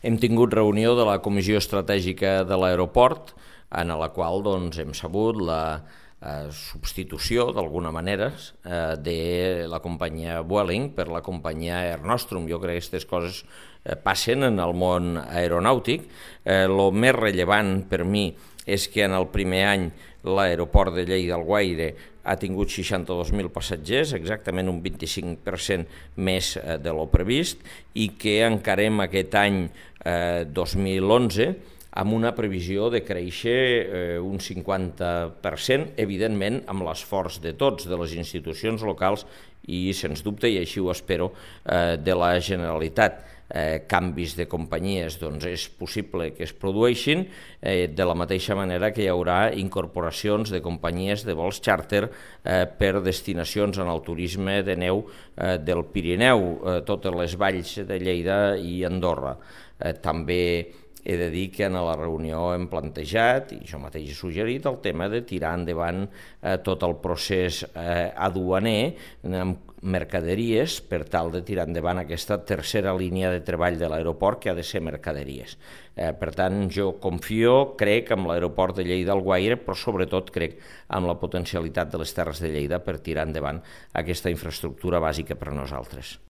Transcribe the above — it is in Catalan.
Hem tingut reunió de la Comissió Estratègica de l'Aeroport, en la qual hem sabut la substitució, d'alguna manera, de la companyia Vueling per la companyia Air Nostrum. Jo crec que aquestes coses passen en el món aeronàutic. El més rellevant per mi és que en el primer any l'aeroport de Lleida-Alguaire ha tingut 62.000 passatgers, exactament un 25% més de lo previst, i que encarem aquest any 2011 amb una previsió de créixer un 50%, evidentment amb l'esforç de tots, de les institucions locals i, sens dubte, i així ho espero, de la Generalitat. Canvis de companyies és possible que es produeixin, de la mateixa manera que hi haurà incorporacions de companyies de vols xàrter per destinacions en el turisme de neu del Pirineu, totes les valls de Lleida i Andorra. També he de dir que en la reunió hem plantejat, i jo mateix he suggerit, el tema de tirar endavant tot el procés aduaner amb mercaderies per tal de tirar endavant aquesta tercera línia de treball de l'aeroport que ha de ser mercaderies. Per tant, jo confio, crec en l'aeroport de Lleida-Alguaire, però sobretot crec en la potencialitat de les Terres de Lleida per tirar endavant aquesta infraestructura bàsica per a nosaltres.